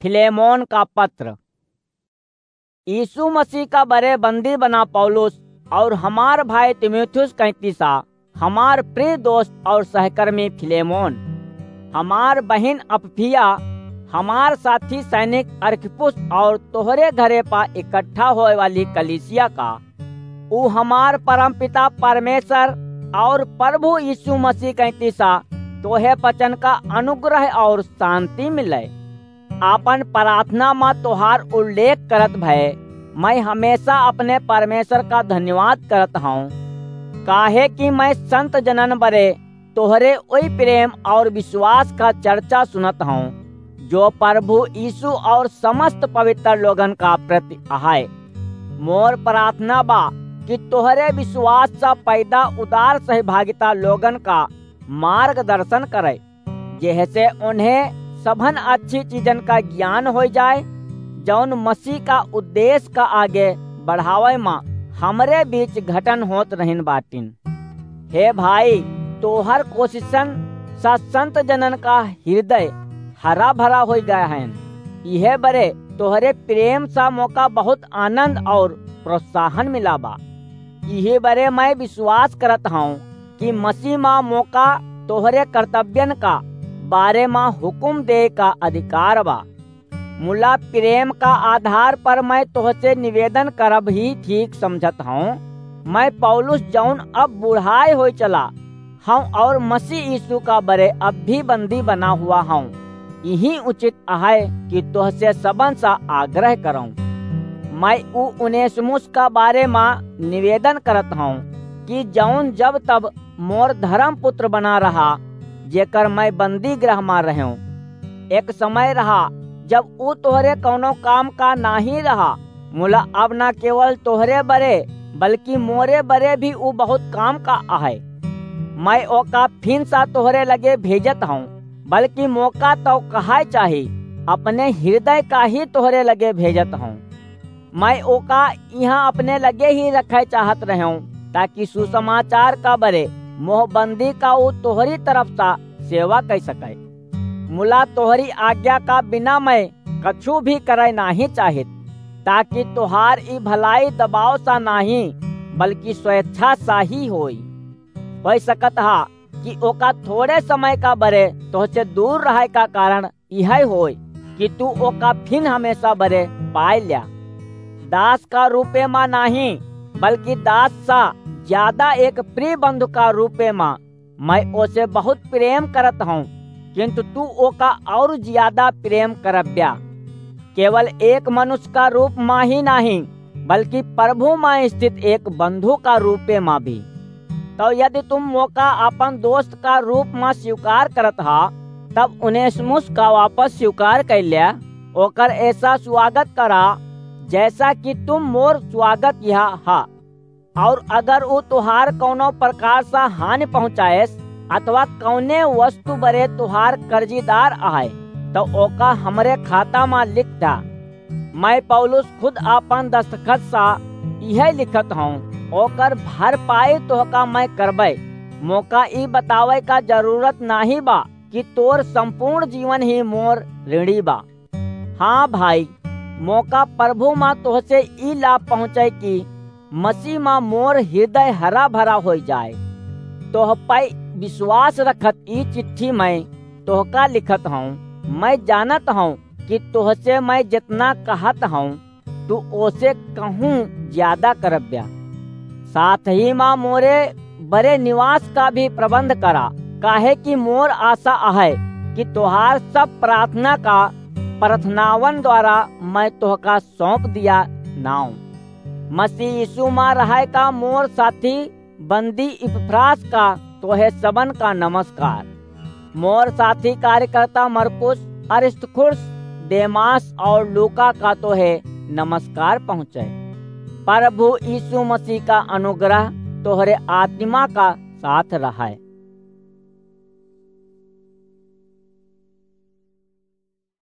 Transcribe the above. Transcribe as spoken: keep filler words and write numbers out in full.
फिलेमोन का पत्र। यीशु मसीह का बरे बंदी बना पौलुस और हमार भाई तीमुथियुस कैंतीसा, हमार प्रिय दोस्त और सहकर्मी फिलेमोन, हमार बहिन अप्फिया, हमार साथी सैनिक अर्खिप्पुस और तोहरे घरे पा इकट्ठा होए वाली कलीसिया का, ऊ हमार परमपिता परमेश्वर और प्रभु यीशु मसीह कैंतीसा तोहे वचन का अनुग्रह और शांति मिले। आपन प्रार्थना मा तोहार उल्लेख करत भय मैं हमेशा अपने परमेश्वर का धन्यवाद करत हौं, काहे कि मैं संत जनन बरे तोहरे ओई प्रेम और विश्वास का चर्चा सुनत हौं, जो प्रभु यीशु और समस्त पवित्र लोगन का प्रति अहै। मोर प्रार्थना बा कि तोहरे विश्वास सा पैदा उदार सहभागिता लोगन का मार्गदर्शन करे, जेहसे उन्हें सभन अच्छी चीजन का ज्ञान होई जाए, जौन मसीह का उद्देश्य का आगे बढ़ावे मा हमरे बीच घटन होत रहिन बाटिन। हे भाई, तोहर कोशिशन सा संत जनन का हृदय हरा भरा होई गया है। इहे बरे तोहरे प्रेम सा मोका बहुत आनंद और प्रोत्साहन मिला बा। इहे बरे मैं विश्वास करत हौं कि मसीह मा मोका तोहरे कर्तव्यन का बारे मा हुकुम दे का अधिकार बा। मुला प्रेम का आधार पर मैं तोहसे निवेदन करब ही ठीक समझत हौं। मैं पौलुस, जौन अब बुढ़ाए होई चला हौं और मसीह यीशु का बरे अब भी बंदी बना हुआ हौं, यही उचित अहै कि तोहसे सबन सा आग्रह करौं। मैं ऊ उनेसिमुस का बारे मा निवेदन करत हौं कि जौन जब तब मोर धर्म पुत्र बना रहा, जेकर मैं बंदी गृह मा रहूं। एक समय रहा, जब ऊ तोहरे कौनो काम का नाही रहा, मुला अब ना केवल तोहरे बरे, बल्कि मोरे बरे भी ऊ बहुत काम का अहै। मैं ओका फिन सा तोहरे लगे भेजत हौं, बल्कि मोका तो कहाय चाही, अपने हृदय का ही तोहरे लगे भेजत हौं। मैं ओका इहाँ अपने लगे ही रखे चाहत रहूं, ताकि सुसमाचार का बरे मोह बंदी का ऊ तोहरी तरफ सा सेवा कर सके। मुला तोहरी आज्ञा का बिना मैं कछु भी करे नाही चाहित, ताकि तोहार ई भलाई दबाव सा नाही, बल्कि स्वेच्छा सा ही होई। होई सकत हा कि ओका थोड़े समय का बरे तोहसे दूर रहे का कारण इहै होय कि तू ओका फिन हमेशा बरे पाए ल्या। दास का रूपे मा नाही, बल्कि दास सा ज्यादा एक प्रिय बंधु का रूपे मा मैं ओसे बहुत प्रेम करत हौं, किंतु तू ओका और ज्यादा प्रेम करब्या। केवल एक मनुष्य का रूप मा ही नाही, बल्कि प्रभु मा स्थित एक बंधु का रूपे मा भी। तो यदि तुम मोका आपन दोस्त का रूप मा स्वीकार करत हा, तब उनेसिमुस का वापस स्वीकार कर ल्या, ओकर ऐसा स्वागत करा, जैसा कि तुम मोर स्वागत यहाँ हा। और अगर ऊ तुहार कौनो प्रकार सा हानि पहुँचाएस अथवा कौने वस्तु बरे तुहार कर्जीदार आए, तो ओका हमरे खाता मा लिख दा। मैं पौलुस खुद आपन दस्तखत सा इहे लिखत हौं, ओकर भरपाई तोहका मैं करबै। मोका ई बतावे का जरूरत नाही बा कि तोर संपूर्ण जीवन ही मोर ऋणी बा। हाँ भाई, मोका प्रभु मा तोहसे ई लाभ पहुँचे कि मसीह मा मोर हृदय हरा भरा होई जाए। तोह पै विश्वास रखत ई चिट्ठी मैं तोहका लिखत हौं। मैं जानत हौं कि तोहसे मैं जितना कहत हौं, तू ओसे कहूँ ज्यादा करब्या। साथ ही मा मोरे बरे निवास का भी प्रबंध करा, काहे कि मोर आशा अहै कि तोहार सब प्रार्थना का प्रार्थनावन द्वारा मैं तोहका सौंप दिया नाऊं। मसीह यीशु मा रहै का मोर साथी बंदी इपफ्रास का तोहे सबन का नमस्कार। मोर साथी कार्यकर्ता मरकुस, अरिस्तर्खुस, देमास और लूका का तोहे नमस्कार पहुँचे। प्रभु यीशु मसीह का अनुग्रह तोहरे आत्मा का साथ रहै।